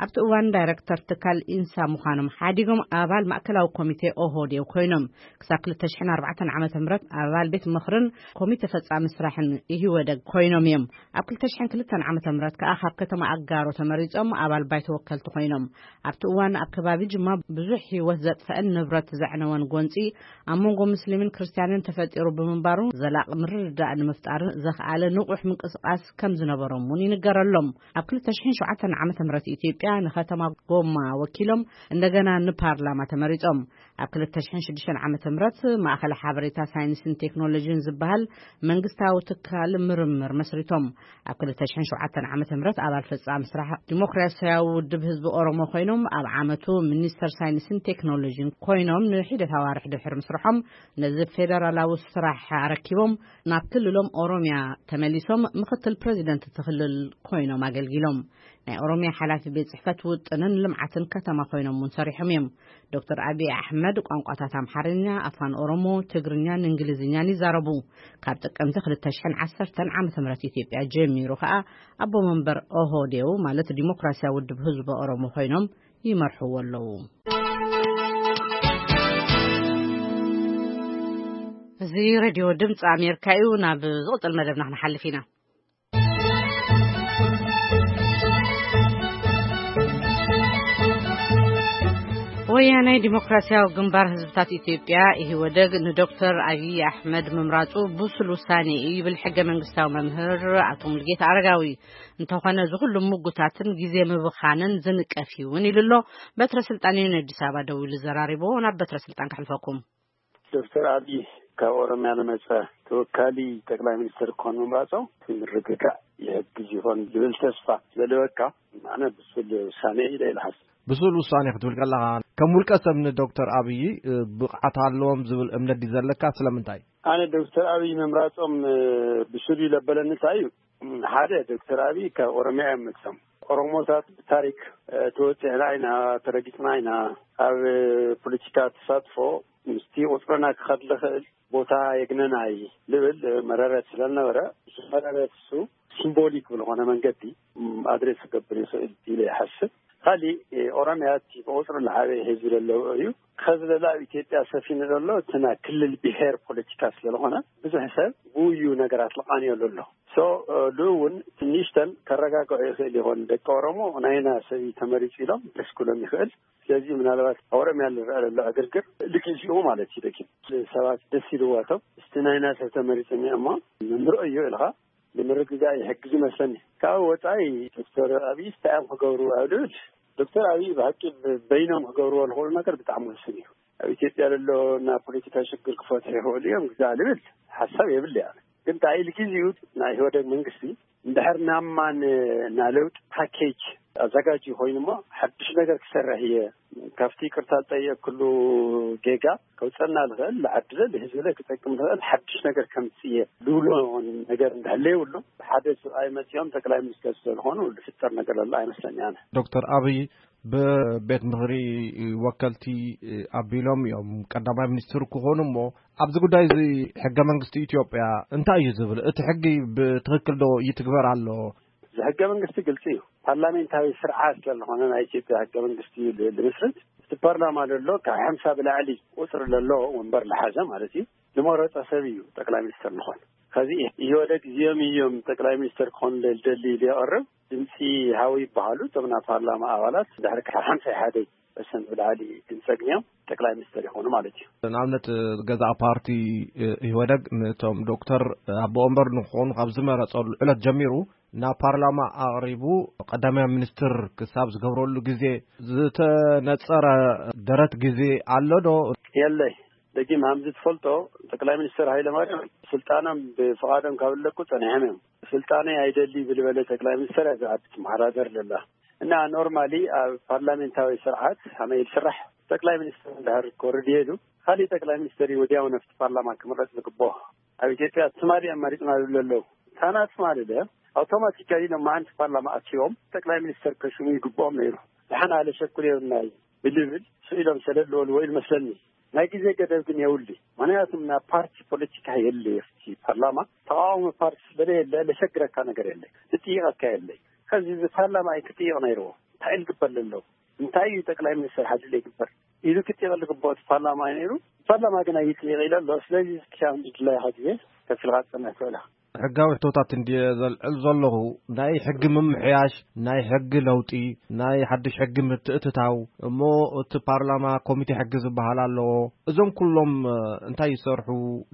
ኣብቲ እዋን ዳይረክተር ትካል ኢንሳ ምዃኖም ሓዲጎም ኣባል ማእከላዊ ኮሚቴ ኦህዴው ኮይኖም ክሳብ ክልተ ሽሕን ኣርባዕተን ዓመተ ምህረት ኣባል ቤት ምኽርን ኮሚቴ ፈጻሚ ስራሕን ኢህወደግ ኮይኖም እዮም። ኣብ ክልተ ሽሕን ክልተን ዓመተ ምህረት ከኣ ካብ ከተማ ኣጋሮ ተመሪጾም ኣባል ባይቶ ወከልቲ ኮይኖም። ኣብቲ እዋን ኣብ ከባቢ ጅማ ብዙሕ ህይወት ዘጥፈአን ንብረት ዘዕነወን ጎንጺ ኣብ መንጎ ሙስሊምን ክርስትያንን ተፈጢሩ ብምንባሩ ዘላቒ ምርድዳእ ንምፍጣር ዘኽኣለ ንቑሕ ምንቅስቓስ ከም ዝነበሮም እውን ይንገረሎም። ኣብ ክልተ ሽሕን ሸውዓተን ዓመተ ምህረት ኢትዮጵያ ንከተማ ጎማ ወኪሎም እንደገና ንፓርላማ ተመሪጾም። ኣብ ክልተ ሽሕን ሽዱሽተን ዓመተ ምህረት ማእኸል ሓበሬታ ሳይንስን ቴክኖሎጂን ዝበሃል መንግስታዊ ትካል ምርምር መስሪቶም። ኣብ ክልተ ሽሕን ሸውዓተን ዓመተ ምህረት ኣባል ፈጻሚ ስራሕ ዲሞክራሲያዊ ውድብ ህዝቢ ኦሮሞ ኮይኖም ኣብ ዓመቱ ሚኒስተር ሳይንስን ቴክኖሎጂን ኮይኖም ንሒደት ኣዋርሕ ድሕሪ ምስርሖም ነዚ ፌደራላዊ ስራሕ ኣረኪቦም ናብ ክልሎም ኦሮሚያ ተመሊሶም ምክትል ፕሬዚደንት እቲ ክልል ኮይኖም ኣገልጊሎም። ናይ ኦሮሚያ ሓላፊ ቤት ጽሕፈት ውጥንን ልምዓትን ከተማ ኮይኖም እውን ሰሪሖም እዮም። ዶክተር ኣብይ ኣሕመድ ቋንቋታት ኣምሓርኛ፣ ኣፋን ኦሮሞ፣ ትግርኛን እንግሊዝኛን ይዛረቡ። ካብ ጥቅምቲ ክልተ ሽሕን ዓሰርተን ዓመተ ምህረት ኢትዮጵያ ጀሚሩ ከኣ ኣቦ መንበር ኦህዴው ማለት ዲሞክራሲያዊ ውድብ ህዝቢ ኦሮሞ ኮይኖም ይመርሕዎ ኣለዉ። እዚ ሬድዮ ድምፂ ኣሜሪካ እዩ። ናብ ዝቕፅል መደብና ክንሓልፍ ኢና። ወያናይ ዲሞክራሲያዊ ግንባር ህዝብታት ኢትዮጵያ ኢህወደግ ንዶክተር ኣብይ ኣሕመድ ምምራፁ ብሱል ውሳኔ እዩ ይብል ሕገ መንግስታዊ መምህር ኣቶ ሙሉጌታ ኣረጋዊ። እንተኾነ እዚ ኩሉ ምጉታትን ግዜ ምብኻንን ዝንቀፍ እዩ እውን ኢሉ ኣሎ። በትረ ስልጣን እዩ ንኣዲስ ኣበባ ደዊሉ ዘራሪቦ። ናብ በትረ ስልጣን ከሕልፈኩም። ዶክተር ኣብይ ካብ ኦሮሚያ ዝመፀ ተወካሊ ጠቅላይ ሚኒስትር ክኾን ምምራፆም ምርግጋእ ይሕግዝ ይኾን ዝብል ተስፋ ስለልበካ ኣነ ብሱል ውሳኔ ኢለ ይልሓስ። ብሱል ውሳኔ ክትብል ከለኻ ከም ውልቀ ሰብ ንዶክተር ኣብይ ብቕዓት ኣለዎም ዝብል እምነት ድዩ ዘለካ? ስለምንታይ? ኣነ ዶክተር ኣብይ ምምራፆም ብሱል እዩ ለበለኒ እንታይ እዩ? ሓደ ዶክተር ኣብይ ካብ ኦሮሚያ እዮም መፅኦም። ኦሮሞታት ብታሪክ ተወፂዕና ኢና፣ ተረጊፅና ኢና፣ ኣብ ፖለቲካ ተሳትፎ ምስቲ ቁፅርና ክኸድ ዝኽእል ቦታ የግነናይ ልብል መረረት ስለዝነበረ፣ እዚ መረረት እሱ ሲምቦሊክ ብዝኾነ መንገዲ ኣድሬስ ክገብር ይኽእል ኢለ ይሓስብ። ካሊእ ኦሮሚያ እቲ ብቁፅሪ ዝዓበየ ህዝቢ ዘለዎ እዩ። ከዚ ዘሎ ኣብ ኢትዮጵያ ሰፊኑ ዘሎ እቲ ናይ ክልል ብሄር ፖለቲካ ስለዝኾነ ብዙሕ ሰብ ብኡ እዩ ነገራት ዝቃንየሉ ኣሎ። ሶ ልኡ እውን ትንሽተን ከረጋግዖ ይኽእል ይኾን ደቂ ኦሮሞ ናይና ሰብ እዩ ተመሪፁ ኢሎም ደስ ክብሎም ይኽእል። ስለዚ ምናልባት ኦሮሚያ ዝረአ ዘሎ ዕግርግር ልግዜኡ ማለት እዩ ደጊም ሰባት ደስ ኢልዋቶም እስቲ ናይና ሰብ ተመሪፁ እሞ ንርኦ እዩ ኢልካ ንምርግጋእ ይሕግዝ ይመስለኒ። ካብ ወፃኢ ዶክተር ኣብይ እንታይ እዮም ክገብሩ ኣብ ልብል ዶክተር ኣብይ ብሓቂ በይኖም ክገብርዎ ዝኽእሉ ነገር ብጣዕሚ ውስን እዩ። ኣብ ኢትዮጵያ ዘሎ ናይ ፖለቲካ ሽግር ክፈትሑ ይኽእሉ እዮም ግዛእ ልብል ሓሳብ የብለይ ኣነ። ግን እንታይ ኢሉ ግዜኡ ናይ ኢህወደግ መንግስቲ እንድሕር ናማን ናይ ለውጢ ፓኬጅ ኣዘጋጅዩ ኮይኑ እሞ ሓድሽ ነገር ክሰርሕ እየ ካብቲ ይቅርታ ዝጠየቅኩሉ ጌጋ ከውፀና ዝኽእል ንዓዲ ለለ ህዝቢ ለ ክጠቅም ዝኽእል ሓድሽ ነገር ከምፅእ እየ ዝብሎ ነገር እንዳህለ የብሉ ሓደ ሰብኣይ መፂኦም ጠቅላይ ሚኒስተር ስለዝኾኑ ዝፍጠር ነገር ዘሎ ኣይመስለኒ ኣነ። ዶክተር ኣብይ ብቤት ምኽሪ ወከልቲ ኣቢሎም እዮም ቀዳማይ ሚኒስትር ክኾኑ እሞ ኣብዚ ጉዳይ እዚ ሕገ መንግስቲ ኢትዮጵያ እንታይ እዩ ዝብል? እቲ ሕጊ ብትኽክል ዶ ይትግበር ኣሎ? እዚ ሕገ መንግስቲ ግልፂ እዩ። ፓርላሜንታዊ ስርዓት ስለዝኾነ ናይ ኢትዮጵያ ሕገ መንግስቲ እዩ ል- ልምስርት። እቲ ፓርላማ ዘሎ ካብ ሓምሳ ብላዕሊ ቁፅሪ ዘለዎ ወንበር ዝሓዘ ማለት እዩ። ዝመረፀ ሰብ እዩ ጠቅላይ ሚኒስትር ዝኾን። ከዚ ኢህወደግ እዚኦም እዮም ጠቅላይ ሚኒስትር ክኾኑ ዝደሊ ኢሉ የቕርብ። ድምፂ ሃቡ ይበሃሉ። እቶም ናይ ፓርላማ ኣባላት ድሕሪ ካብ ሓምሳ ሓደ ፐርሰንት ብላዕሊ ድምፂ ኣግኒዮም ጠቅላይ ሚኒስትር ይኾኑ ማለት እዩ። ንኣብነት ገዛእ ፓርቲ ኢህወደግ ንቶም ዶክተር ኣቦ ወንበር ንክኾኑ ካብ ዝመረፀሉ ዕለት ጀሚሩ ናብ ፓርላማ ኣቕሪቡ ቀዳማይ ሚኒስትር ክሳብ ዝገብረሉ ግዜ ዝተነፀረ ደረት ግዜ ኣሎ ዶ? የለይ። ደጊም ሃምዚ ትፈልጦ፣ ጠቅላይ ሚኒስትር ሃይለ ማርያም ስልጣኖም ብፍቓዶም ካብ ለቁ ጸኒሖም እዮም። ስልጣነይ ኣይደሊ ብልበለ ጠቅላይ ሚኒስትር እያ ዝዓዲ ትመሓዳደር ዘላ። እና ኖርማሊ ኣብ ፓርላሜንታዊ ስርዓት ከመይ ዝስራሕ፣ ጠቅላይ ሚኒስትር እንድሕር ክወርድ ይሄዱ፣ ካሊእ ጠቅላይ ሚኒስትር እዩ ወዲያው ነፍቲ ፓርላማ ክምረጽ ዝግብኦ። ኣብ ኢትዮጵያ ትማሊ ኣማሪጽና ዝብሉ ኣለዉ። ታና ትማሊ ደ ኣውቶማቲካሊ ሎማዓንቲ ፓርላማ ኣትዮም ጠቅላይ ሚኒስትር ከሽሙ ይግብኦም ነይሩ። ድሓን ኣለሸኩር የብናይ ብልብል ስኢሎም ሰለለወሉ ወይ መስለኒ። ናይ ግዜ ገደብ ግን የውሊ። ምክንያቱም ናብ ፓርቲ ፖለቲካ የለ። ቲ ፓርላማ ተቃዋሚ ፓርቲ ስለ የለ ለሸግረካ ነገር የለ፣ ዝጥይቀካ የለ። ከዚ እዚ ፓርላማ እዩ ክጥይቅ ነይርዎ። እንታይ ኢሉ ክበል ኣለዎ? እንታይ እዩ ጠቅላይ ሚኒስትር ሓድለ ይግበር ኢሉ ክጥይቅ ዝግብኦ እቲ ፓርላማ እዩ ነይሩ። ፓርላማ ግን ኣይጥይቅ ኢለ ኣሎ። ስለዚ እስኪ ድላይካ ግዜ ከፊልካ ትፀንሕ ትኽእላ። ሕጋዊ ሕቶታት እንድየ ዘልዕል ዘለኹ፣ ናይ ሕጊ ምምሕያሽ፣ ናይ ሕጊ ለውጢ፣ ናይ ሓድሽ ሕጊ ምትእትታው፣ እሞ እቲ ፓርላማ ኮሚቴ ሕጊ ዝበሃል ኣለዎ። እዞም ኩሎም እንታይ ይሰርሑ?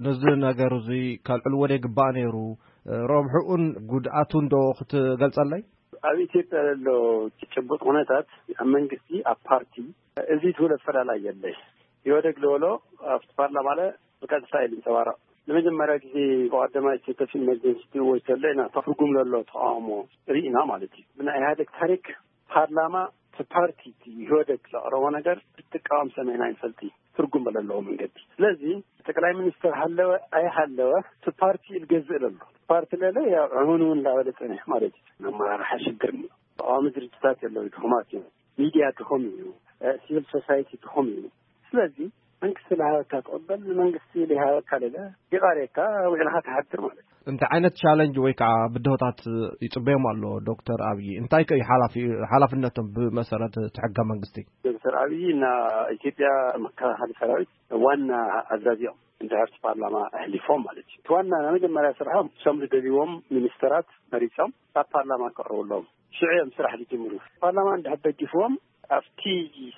ነዚ ነገር እዚ ከልዕልዎ ዶ ይግባእ ነይሩ? ረብሕኡን ጉድኣቱን ዶ ክትገልጸለይ? ኣብ ኢትዮጵያ ዘሎ ጭቡጥ ኩነታት ኣብ መንግስቲ ኣብ ፓርቲ እዚ ትውለ ፈላላይ የለ። ኢህወደግ ዝበሎ ኣብቲ ፓርላማ ለ ብቀጥታ እዩ ዝንፀባረቕ። ንመጀመርያ ግዜ ብቀዳማይ ስቴት ኦፍ ኢመርጀንሲ ትእወጅ ተሎ ኢና ትርጉም ዘሎ ተቃውሞ ርኢና ማለት እዩ። ብናይ ኢህወደግ ታሪክ ፓርላማ እቲ ፓርቲ እቲ ኢህወደግ ዘቕረቦ ነገር ክትቃወም ሰሚዕና ይንፈልጥ እዩ። ትርጉም በለለዎ መንገዲ። ስለዚ ጠቅላይ ሚኒስትር ሃለወ ኣይሃለወ እቲ ፓርቲ እዩ ዝገዝእ ዘሎ። ፓርቲ ለለ ያው ዕሙን እውን እንዳበለ ፀኒሑ ማለት እዩ። ኣመራርሓ ሽግር እዩ። ተቃዋሚ ድርጅታት የለው፣ ድኹማት እዮም። ሚድያ ድኹም እዩ። ሲቪል ሶሳይቲ ድኹም እዩ። ስለዚ መንግስቲ ዝሃበካ ትቕበል፣ ንመንግስቲ ዘይሃበካ ለለ ይቓርየካ፣ ውዕልካ ትሓድር ማለት እዩ። እንታይ ዓይነት ቻለንጅ ወይ ከዓ ብድሆታት ይፅበዮም ኣሎ ዶክተር ኣብይ? እንታይ ከ እዩ ሓላፊ- ሓላፍነቶም ብመሰረት እቲ ሕገ መንግስቲ? ዶክተር ኣብይ እና ኢትዮጵያ መከላኸሊ ሰራዊት ዋና ኣዛዚኦም እንድሕር እቲ ፓርላማ ኣሕሊፎም ማለት እዩ። እቲ ዋና ናይ መጀመርያ ስርሖም እሶም ዝደልይዎም ሚኒስተራት መሪፆም ኣብ ፓርላማ ከቕርብሎም ሽዑ እዮም ስራሕ ዝጅምሩ። ፓርላማ እንድሕር ደጊፍዎም ኣብቲ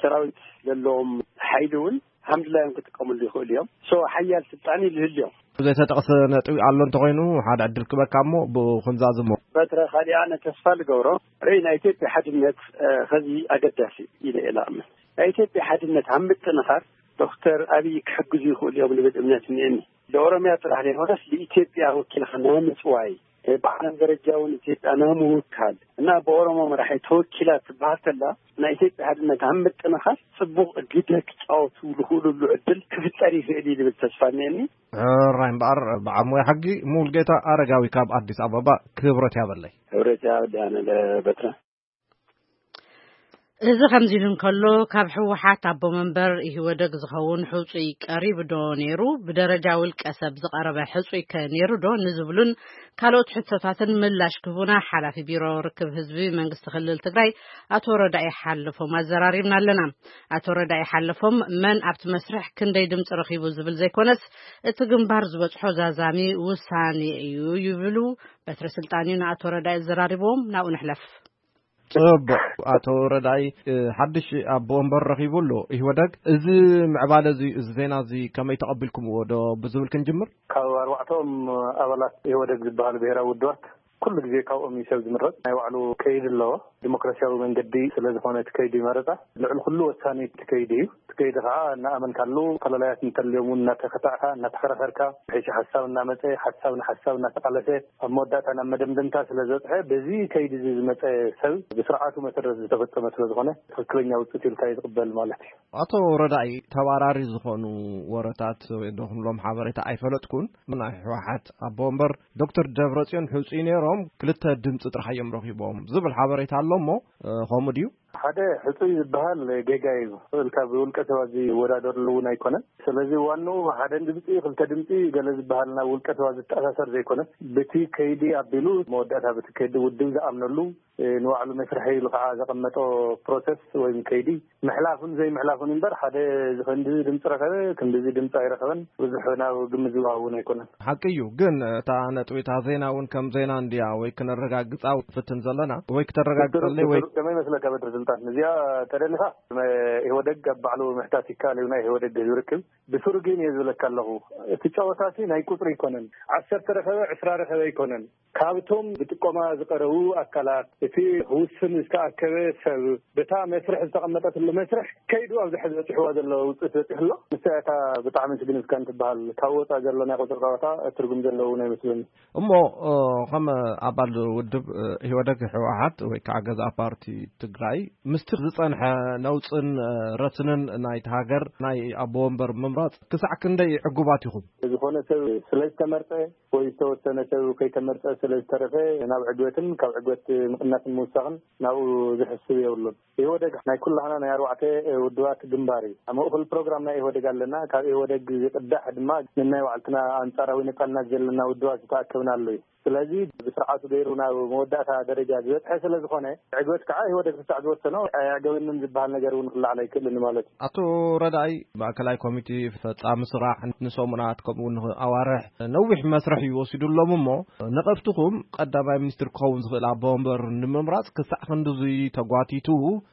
ሰራዊት ዘለዎም ሓይሊ እውን ሃምድላዮም ክጥቀምሉ ይኽእሉ እዮም። ሶ ሓያል ስልጣን ይልህልዮም። ዘይተጠቕሰ ነጥቢ ኣሎ እንተኾይኑ ሓደ ዕድል ክበካ እሞ ብኹምዛዝሞ። በትረ ካሊእ ኣነ ተስፋ ልገብሮ ርእይ ናይ ኢትዮጵያ ሓድነት እ፣ ኸዚ ኣገዳሲ ኢለ እየ ልኣምን። ናይ ኢትዮጵያ ሓድነት ኣብ ምጥንኻር ዶክተር ኣብይ ክሕግዙ ይኽእሉ እዮም ልብል እምነት እኒአኒ። ለኦሮምያ ጥራሕ ዘይኮነስ ልኢትዮጵያ ወኪልካ ናይ ምፅዋይ እ፣ ብዓለም ደረጃ እውን ኢትዮጵያ ናይ ምውካል እና ብኦሮሞ መራሒ ተወኪላ ትበሃል ተላ ናይ ኢትዮጵያ ሓድነት ኣብ ምጥንኻር ፅቡቕ ግደ ክፃወቱ ዝኽእሉሉ ዕድል ክፍጠር ይኽእል እዩ ዝብል ተስፋ እኒአኒ። ሕራይ እምበኣር በዓል ሞያ ሕጊ ሙሉጌታ ኣረጋዊ ካብ ኣዲስ ኣበባ ክብረት ያበለይ። ክብረት ያበለይ ኣነ ለበትረ። እዚ ከምዚ ኢሉ እንከሎ ካብ ህወሓት ኣቦ መንበር ኢህወደግ ዝኸውን ሕፁይ ቀሪቡ ዶ ነይሩ? ብደረጃ ውልቀ ሰብ ዝቐረበ ሕፁይ ከ ነይሩ ዶ ንዝብሉን ካልኦት ሕቶታትን ምላሽ ክህቡና ሓላፊ ቢሮ ርክብ ህዝቢ መንግስቲ ክልል ትግራይ ኣቶ ረዳኢ ሓለፎም ኣዘራሪብና ኣለና። ኣቶ ረዳኢ ሓለፎም መን ኣብቲ መስርሕ ክንደይ ድምፂ ረኺቡ ዝብል ዘይኮነስ እቲ ግንባር ዝበፅሖ ዛዛሚ ውሳኔ እዩ ይብሉ። በትሪ ስልጣን እዩ ንኣቶ ረዳኢ ዘራሪብዎም። ናብኡ ንሕለፍ። ጽቡቕ። ኣቶ ረዳኢ፣ እ፣ ሓድሽ ኣቦ ወንበር ረኺቡ ኣሎ ኢህወደግ። እዚ ምዕባለ እዚ፣ እዚ ዜና እዚ ከመይ ተቐቢልኩምዎ ዶ ብዝብል ክንጅምር? ካብ ኣርባዕተኦም ኣባላት ኢህወደግ ዝበሃሉ ብሄራዊ ውድባት ኩሉ ግዜ ካብኦም እዩ ሰብ ዝምረጽ። ናይ ባዕሉ ከይዲ ኣለዎ። ዲሞክራሲያዊ መንገዲ ስለ ዝኾነ እቲ ከይዲ መረጻ ልዕሊ ኩሉ ወሳኒ እቲ ከይዲ እዩ። እቲ ከይዲ ከዓ እናኣመንካሉ፣ ፈላላያት እንተልዮም እውን እናተኸታዕካ፣ እናተኸራኸርካ፣ ብሕጂ ሓሳብ እናመጸ፣ ሓሳብ ንሓሳብ እናተቃለሰ፣ ኣብ መወዳእታ ናብ መደምደምታ ስለ ዝበጽሐ፣ በዚ ከይዲ እዚ ዝመጸ ሰብ ብስርዓቱ መሰረት ዝተፈጸመ ስለ ዝኾነ፣ ትኽክለኛ ውፅኢት ኢልካ እዩ ዝቕበል ማለት እዩ። ኣቶ ረዳኢ፣ ተባራሪ ዝኾኑ ወረታት ወይ ዶ ክንብሎም ሓበሬታ ኣይፈለጥኩን። ናይ ህወሓት ኣቦ ወንበር ዶክተር ደብረጽዮን ሕፁይ ነይሮም፣ ክልተ ድምፂ ጥራሕ እዮም ረኺቦም ዝብል ሓበሬታ ኣሎ እሞ፣ እ፣ ከምኡ ድዩ? ሓደ ሕፁይ ዝበሃል ጌጋ እዩ። ኢልካ ብውልቀ ሰባት ዝወዳደርሉ እውን ኣይኮነን። ስለዚ ዋንኡ ሓደ ድምፂ፣ ክልተ ድምፂ ገለ ዝበሃል ናብ ውልቀ ሰባት ዝተኣሳሰር ዘይኮነስ፣ በቲ ከይዲ ኣቢሉ መወዳእታ በቲ ከይዲ ውድብ ዝኣምነሉ፣ እ፣ ንባዕሉ መስርሒ ኢሉ ከዓ ዘቐመጦ ፕሮሰስ ወይም ከይዲ ምሕላፍን ዘይምሕላፍን እምበር፣ ሓደ እዚ ክንድዚ ድምፂ ረኸበ፣ ክንድዚ ድምፂ ኣይረኸበን፣ ብዙሕ ናብ ግምት ዝወሃብ እውን ኣይኮነን። ሓቂ እዩ፣ ግን እታ ነጥቢ፣ እታ ዜና እውን ከም ዜና እንድያ ወይ ክነረጋግፃ ፍትን ዘለና ወይ ክተረጋግፀለይ ወይ ከመይ ይመስለካ በትሪ? እዚኣ ተደሊኻ ኢህወደግ ኣብ ባዕሉ ምሕታት ይከኣል እዩ፣ ናይ ኢህወደግ ህዝቢ ርክብ ብስሩ ግን እየ ዝብለካ ኣለኹ። እቲ ጨወታሲ ናይ ቁፅሪ ኣይኮነን። ዓሰርተ ረኸበ ዕስራ ረኸበ ኣይኮነን። ካብቶም ብጥቆማ ዝቀረቡ ኣካላት እቲ ክውስን ዝተኣከበ ሰብ በታ መስርሕ ዝተቐመጠትሉ መስርሕ ከይዱ ኣብዚ ሕዚ በፂሕዋ ዘሎ ውፅኢት በፂሑ ኣሎ። ንሳ እታ ብጣዕሚ ስግንዝካን ትበሃል። ካብ ወፃ ዘሎ ናይ ቁፅሪ ጨወታ ትርጉም ዘለዎ ናይ መስለኒ። እሞ ከም ኣባል ውድብ ህወደግ ህወሓት ወይ ከዓ ገዛ ፓርቲ ትግራይ ምስቲ ዝፀንሐ ነውፅን ረስንን ናይቲ ሃገር ናይ ኣቦ ወንበር ምምራፅ ክሳዕ ክንደይ ዕጉባት ኢኹም? ዝኾነ ሰብ ስለ ዝተመርፀ ወይ ዝተወሰነ ሰብ ከይተመርፀ ስለ ዝተረፈ ናብ ዕግበትን ካብ ዕግበት ምቕናስን ምውሳኽን ናብኡ ዝሕስብ የብሉን። ኢህወደግ ናይ ኩላህና ናይ ኣርባዕተ ውድባት ግንባር እዩ። ኣብ ምእኹል ፕሮግራም ናይ ኢህወደግ ኣለና። ካብ ኢህወደግ ዝቅዳሕ ድማ ንናይ ባዕልትና ኣንጻራዊ ነጻልናት ዘለና ውድባት ዝተኣከብናሉ እዩ። ስለዚ ብስርዓቱ ገይሩ ናብ መወዳእታ ደረጃ ዝበፅሐ ስለ ዝኾነ ዕግበት ከዓ ኢህወደግ ክሳዕ ዝወሰኖ ኣያገበንን ዝበሃል ነገር እውን ክለዓል ኣይክእልን ማለት እዩ። ኣቶ ረዳይ ማእከላይ ኮሚቴ ፈጻሚ ስራሕ ንሰሙናት ከምኡ ንኣዋርሕ ነዊሕ መስርሕ እዩ ወሲዱ ኣሎም እሞ ነቐፍትኹም ቀዳማይ ሚኒስትር ክኸውን ዝኽእል ኣቦ ወንበር ንምምራፅ ክሳዕ ክንድዙይ ተጓቲቱ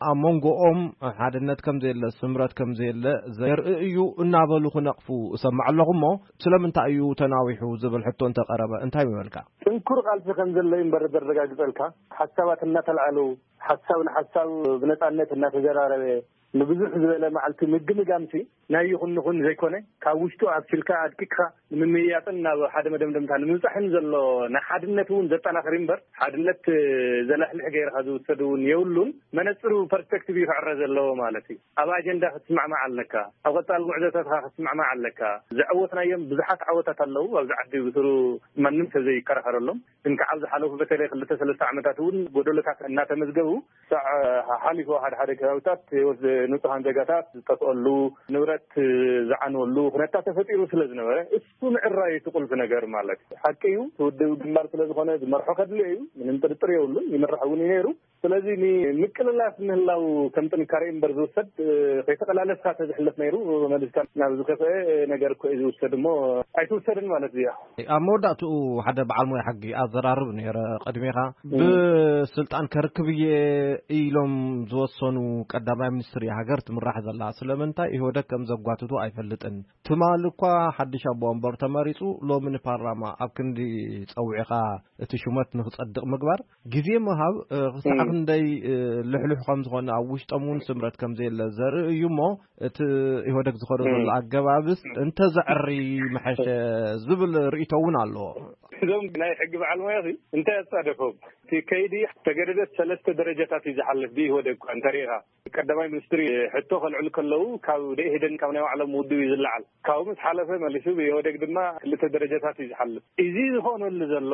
ኣብ መንጎኦም ሓድነት ከም ዘየለ ስምረት ከም ዘየለ ዘርኢ እዩ እናበሉ ክነቕፉ እሰማዕ ኣለኹ እሞ ስለምንታይ እዩ ተናዊሑ ዝብል ሕቶ እንተቀረበ እንታይ ምበልካ? ጥንኩር ቃልሲ ከም ዘሎ እዩ እምበር ዘረጋግጸልካ። ሓሳባት እናተልዓሉ ሓሳብ ንሓሳብ ብነጻነት እናተዘራረበ ንብዙሕ ዝበለ መዓልቲ ምግምጋምሲ ናይ ይኹን ንኹን ዘይኮነ ካብ ውሽጡ ኣብሲልካ ኣድቂቅካ ንምምይያጥን ናብ ሓደ መደምደምታ ንምብጻሕን ዘሎ ናይ ሓድነት እውን ዘጠናኽር እምበር ሓድነት ዘላሕልሕ ገይርካ ዝውሰድ እውን የብሉን። መነጽሩ ፐርስፔክቲቭ እዩ ክዕረ ዘለዎ ማለት እዩ። ኣብ ኣጀንዳ ክትስማዕማዕ ኣለካ። ኣብ ቀጻሊ ጉዕዞታትካ ክትስማዕማዕ ኣለካ። ዘዐወትናዮም ብዙሓት ዓወታት ኣለዉ ኣብዚ ዓዲ ብስሩ ማንም ሰብ ዘይከራኸረሎም። ግን ከዓ ኣብ ዝሓለፉ በተለይ ክልተ ሰለስተ ዓመታት እውን ጎደሎታት እናተመዝገቡ ሳዕ ሓሊፉ ሓደ ሓደ ከባቢታት ህይወት ንጹሃን ዜጋታት ዝጠፍአሉ ንብረት ዝዓንወሉ ኩነታት ተፈጢሩ ስለ ዝነበረ እሱ ምዕራይ እቲ ቁልፊ ነገር ማለት እዩ። ሓቂ እዩ ውድብ ግንባር ስለ ዝኾነ ዝመርሖ ከድልዮ እዩ። ምንም ጥርጥር የብሉን። ይመርሕ እውን እዩ ነይሩ። ስለዚ ንምቅልላስ ምህላው ከም ጥንካሬ እምበር ዝውሰድ ከይተቀላለስካ ተዝሕለፍ ነይሩ መሊስካ ናብ ዝከፍአ ነገር እኮ እዩ ዝውሰድ እሞ ኣይትውሰድን ማለት እዩ። ኣብ መወዳእትኡ ሓደ በዓል ሞያ ሕጊ ኣዘራርብ ነይረ ቅድሜኻ ብስልጣን ከርክብ እየ ኢሎም ዝወሰኑ ቀዳማይ ሚኒስትር እያ ሃገር ትምራሕ ዘላ ስለምንታይ ኢህወደግ ከም ዘጓትቱ ኣይፈልጥን። ትማሊ እኳ ሓድሽ ኣቦ ወንበር ተመሪፁ ሎሚ ንፓርላማ ኣብ ክንዲ ፀዊዕኻ እቲ ሹመት ንክፀድቕ ምግባር ግዜ ምሃብ ክሳዕ ክንደይ ልሕሉሕ ከም ዝኾነ ኣብ ውሽጦም እውን ስምረት ከም ዘየለ ዘርኢ እዩ እሞ እቲ ኢህወደግ ዝኸዶ ዘሎ ኣገባብስ እንተዘዕሪ መሐሸ ዝብል ርእይቶ እውን ኣለዎ። እዞም ናይ ሕጊ በዓል ሞያ እንታይ ኣፃደፎም? እቲ ከይዲ ተገደደት ሰለስተ ደረጃታት እዩ ዝሓልፍ ብኢህወደግ እኳ እንተሪኢኻ ቀዳማይ ሚኒስትሪ ሕቶ ከልዕሉ ከለዉ ካብ ደኢህደን ካብ ናይ ባዕሎም ውድብ እዩ ዝለዓል። ካብኡ ምስ ሓለፈ መሊሱ ብኢህወደግ ድማ ክልተ ደረጃታት እዩ ዝሓልፍ። እዚ ዝኾነሉ ዘሎ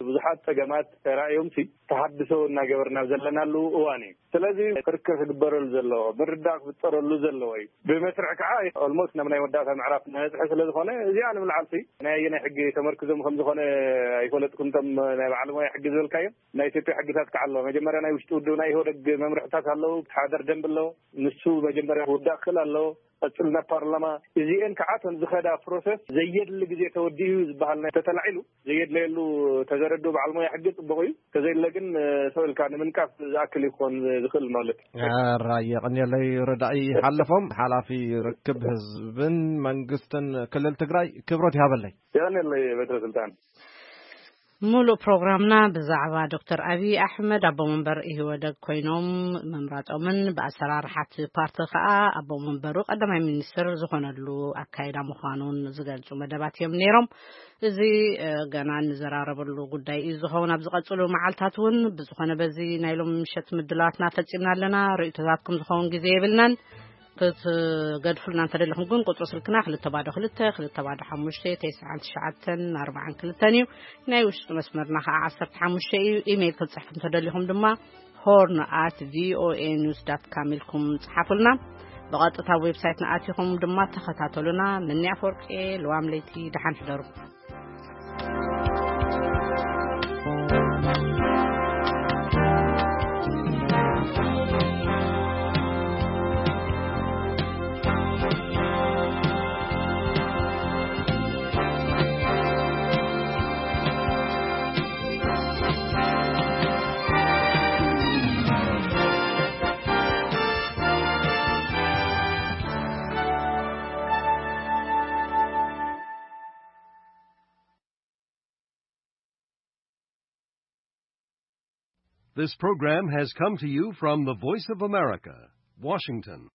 ብዙሓት ፀገማት ተራእዮም ሲ ተሃድሶ እናገበርና ዘለናሉ እዋን እዩ። ስለዚ ክርክር ክግበረሉ ዘለዎ ምርዳእ ክፍጠረሉ ዘለዎ እዩ። ብመስርዕ ከዓ ኦልሞስት ናብ ናይ መወዳእታ ምዕራፍ ነፅሐ ስለ ዝኾነ እዚኣ ንምልዓል ሲ ናይ ኣየናይ ሕጊ ተመርክዞም ከም ዝኾነ ኣይፈለጥኩን። እቶም ናይ በዓል ሞያ ሕጊ ዝበልካዮም ናይ ኢትዮጵያ ሕግታት ከዓ ኣለዎ። መጀመርያ ናይ ውሽጢ ውድብ ናይ ኢህወደግ መምርሕታት ኣለዉ። ሓደር ደንብ ኣለዎ። ንሱ መጀመርያ ክውዳእ ክኽእል ኣለዎ። ቀፅል ናብ ፓርላማ እዚአን ከዓ እተን ዝኸዳ ፕሮሰስ ዘየድሊ ግዜ ተወዲኡ ዝበሃል ናይ ተተላዒሉ ዘየድለየሉ ተዘረዱ በዓል ሞያ ሕጊ ፅቡቅ እዩ። ተዘይለ ግን ሰው ኢልካ ንምንቃፍ ዝኣክል ይኮን ዝኽእል ማለት እዩ። ራየ ቀኒለይ ረዳኢ ሓለፎም ሓላፊ ርክብ ህዝብን መንግስትን ክልል ትግራይ ክብረት ይሃበለይ። የቀኒለይ በትረ ስልጣን። ሙሉእ ፕሮግራምና ብዛዕባ ዶክተር ኣብይ ኣሕመድ ኣቦ መንበር ኢህወደግ ኮይኖም ምምራጾምን ብኣሰራርሓት ፓርቲ ከኣ ኣቦ መንበሩ ቀዳማይ ሚኒስትር ዝኾነሉ ኣካይዳ ምዃኑን ዝገልጹ መደባት እዮም ነይሮም። እዚ ገና እንዘራረበሉ ጉዳይ እዩ ዝኸውን። ኣብ ዝቐጽሉ መዓልታት እውን ብዝኾነ በዚ ናይ ሎም ምሸት ምድላዋትና ፈጺምና ኣለና። ርእይቶታትኩም ዝኸውን ግዜ የብልናን። ክትገድፉልና እንተደለኹም ግን ቁፅሪ ስልክና ክልተ ባዶ ክልተ ክልተ ባዶ ሓሙሽተ ተስዓን ትሽዓተን ኣርባዓን ክልተን እዩ። ናይ ውሽጢ መስመርና ከዓ ዓሰርተ ሓሙሽተ እዩ። ኢሜይል ክትፅሕፉ እንተደሊኹም ድማ ሆርን ኣት ቪኦኤ ኒውስ ዳት ካም ኢልኩም ፅሓፉልና። ብቐጥታ ዌብሳይትና ኣቲኹም ድማ ተኸታተሉና። ምንያ ፈርቄ ልዋም ለይቲ ደሓን ሕደሩ። This program has come to you from the Voice of America, Washington.